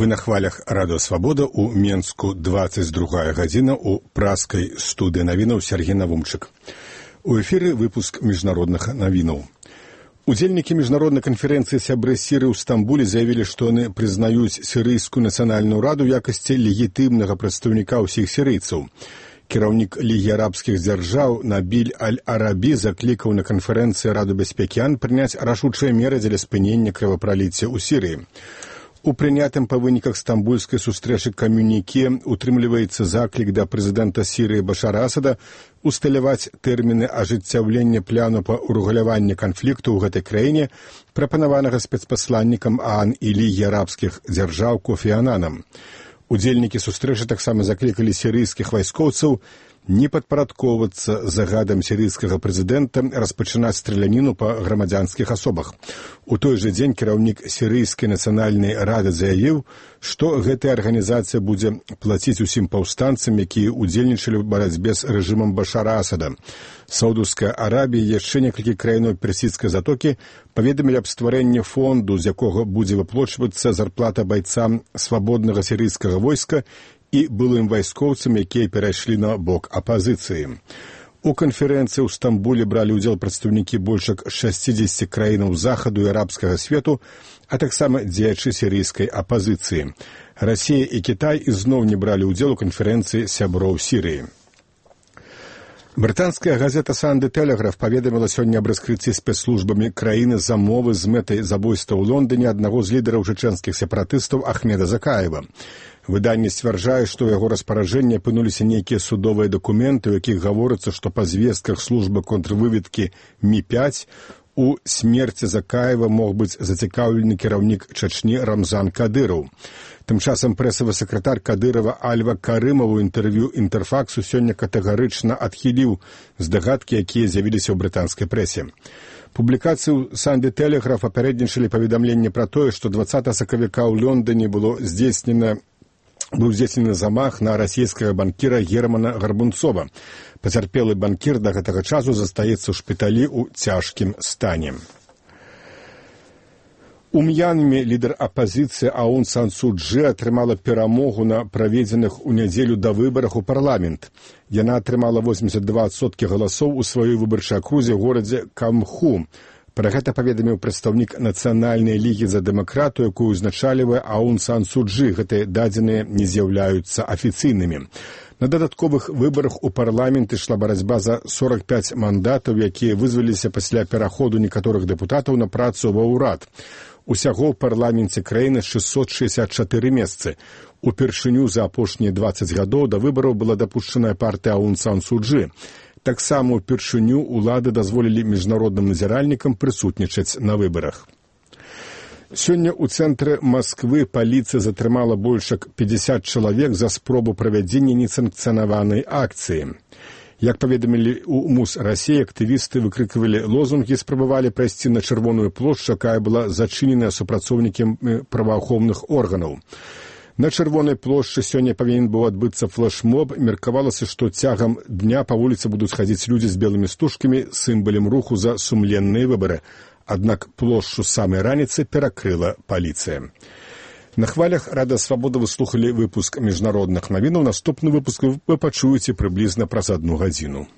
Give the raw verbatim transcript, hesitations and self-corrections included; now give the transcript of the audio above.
Вы на хвалях Радыё Свабода, у Менску двадцать другая гадзіна, у праскай студыі навінаў Сергей Навумчык. У эфіры выпуск міжнародных навінаў. Удзельнікі міжнароднай канферэнцыі сябры Сірыі ў Стамбуле заявілі, што яны прызнаюць Сірыйскую нацыянальную раду ў якасці легітымнага прадстаўніка ўсіх сірыйцаў. Кіраўнік Лігі арабскіх дзяржаў Набіль Аль-Арабі заклікаў на канферэнцыі Раду бяспекі ООН прыняць рашучыя меры дзеля спынення крывапраліцця ў Сірыі. У прынятым па выніках стамбульскай сустрэчы камюніке утрымліваецца заклік да прэзідэнта Сірыі Башара Асада усталяваць тэрміны ажыццяўлення пляну па ўрэгуляванні канфлікту ў гэтай краіне, прапанаванага спецпасланнікам ООН і Лігі арабскіх дзяржаў Кофі Ананам. Удзельнікі сустрэчы таксама заклікалі сірыйскіх вайскоўцаў не падпарадкоўвацца загадам сірыйскага прэзідэнта распачынаць страляніну па грамадзянскіх асобах. У той жа дзень кіраўнік Сірыйскай нацыянальнай рады заявіў, што гэтая арганізацыя будзе плаціць усім паўстанцам, якія ўдзельнічалі ў барацьбе з рэжымам Башара Асада. Саудаўская Арабія і яшчэ некалькі краінаў персідскай затокі паведамілі аб стварэнні фонду, з якога будзе выплачвацца зарплата байцам свабоднага сірыйскага войска і былым вайскоўцам, якія перайшлі на бок апазіцыі. У канферэнцыі ў Стамбуле бралі ўдзел прадстаўнікі больш як шасцідзесяці краінаў захаду і арабскага свету, а таксама дзеячы сірыйскай апазіцыі. Расія і Кітай ізноў не бралі ўдзел у канферэнцыі сяброў Сірыі. Брытанская газета «Санды Тэлеграф» паведаміла сёння аб раскрыцці спецслужбамі краіны замовы з мэтай забойства ў Лондоне аднаго з лідараў чэчэнскіх сепаратыстаў Ахмеда Закаева. Выданне сцвярджае, што ў яго распараджэнні апынуліся нейкія судовыя дакументы, у якіх гаворыцца, што па звестках службы контрвыведкі Мі пяць у смерці Закаева мог быць зацікаўлены кіраўнік Чачні Рамзан Кадыраў. Тым часам прэсавы сакратар Кадырава Альва Карымаў у інтэрв'ю Інтэрфаксу сёння катэгарычна адхіліў здагадкі, якія з'явіліся ў брытанскай прэсе. Публікацыю «Санды Тэлеграф» апярэднічалі паведамленне пра тое, што дваццатага сакавіка ў Лондоне было здзейснена быў здзейснены замах на расійскага банкіра Германа Гарбунцова. Пацярпелы банкір да гэтага часу застаецца ў шпіталі ў цяжкім стане. У М'янме лідар апазіцыі Аун Сан Су Чжы атрымала перамогу на праведзеных у нядзелю да выбарах у парламент. Яна атрымала восемьдесят два адсоткі галасоў у сваёй выбарчай акрузе ў горадзе Камху. Пра гэта паведаміў прадстаўнік Нацыянальнай лігі за дэмакратыю, якую узначальвае Аун Сан Су Чжы. Гэтыя дадзеныя не з'яўляюцца афіцыйнымі. На дадатковых выбарах у парламент ішла барацьба за сорок пять мандатаў, якія вызваліся пасля пераходу некаторых дэпутатаў на працу ва ўрад. Усяго ў парламенце краіны шэсцьсот шэсцьдзесят чатыры месцы. Упершыню за апошнія дваццаць гадоў да выбараў была дапушчаная партыя Аун Сан Су Чжы. Таксама ўпершыню ўлады дазволілі міжнародным назіральнікам прысутнічаць на выбарах. Сёння ў цэнтры Масквы паліцыя затрымала больш як пятьдесят чалавек за спробу правядзення несанкцыянаванай акцыі. Як паведамілі ў МУС Расіі, актывісты выкрыквалі лозунгі, спрабавалі прайсці на Чырвоную плошчу, якая была зачыненая супрацоўнікамі праваахоўных органаў. На Чырвонай плошчы сёння павінен быў адбыцца флэшмоб. Меркавалася, што цягам дня па вуліцы будуць хадзіць людзі з белымі стужкамі, сімвалам руху за сумленныя выбары. Аднак плошчу з самай раніцы перакрыла паліцыя. На хвалях Радыё Свабода вы слухалі выпуск міжнародных навінаў. Наступны выпуск вы пачуеце прыблізна праз адну гадзіну.